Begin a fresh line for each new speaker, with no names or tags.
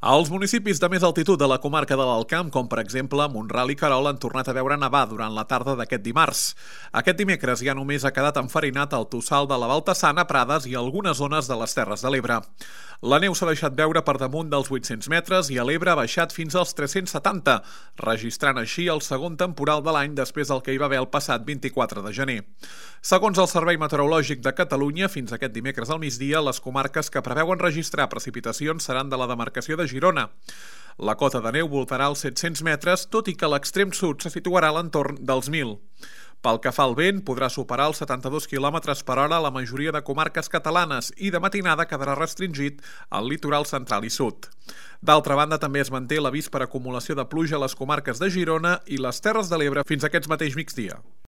Els municipis de més altitud de la comarca de l'Alt Camp, com per exemple Mont-ral i Querol, han tornat a veure nevar durant la tarda d'aquest dimarts. Aquest dimecres ja només ha quedat enfarinat el Tossal de la Baltassana, Prades i algunes zones de les Terres de l'Ebre. La neu s'ha deixat veure per damunt dels 800 metres i a l'Ebre ha baixat fins als 370, registrant així el segon temporal de l'any després del que hi va haver el passat 24 de gener. Segons el Servei Meteorològic de Catalunya, fins aquest dimecres al migdia, les comarques que preveuen registrar precipitacions seran de la demarcació de Girona. La cota de neu voltarà als 700 metres, tot i que l'extrem sud se situarà a l'entorn dels 1.000. Pel que fa al vent, podrà superar els 72 km per hora a la majoria de comarques catalanes i de matinada quedarà restringit al litoral central i sud. D'altra banda, també es manté l'avís per acumulació de pluja a les comarques de Girona i les Terres de l'Ebre fins a aquest mateix migdia.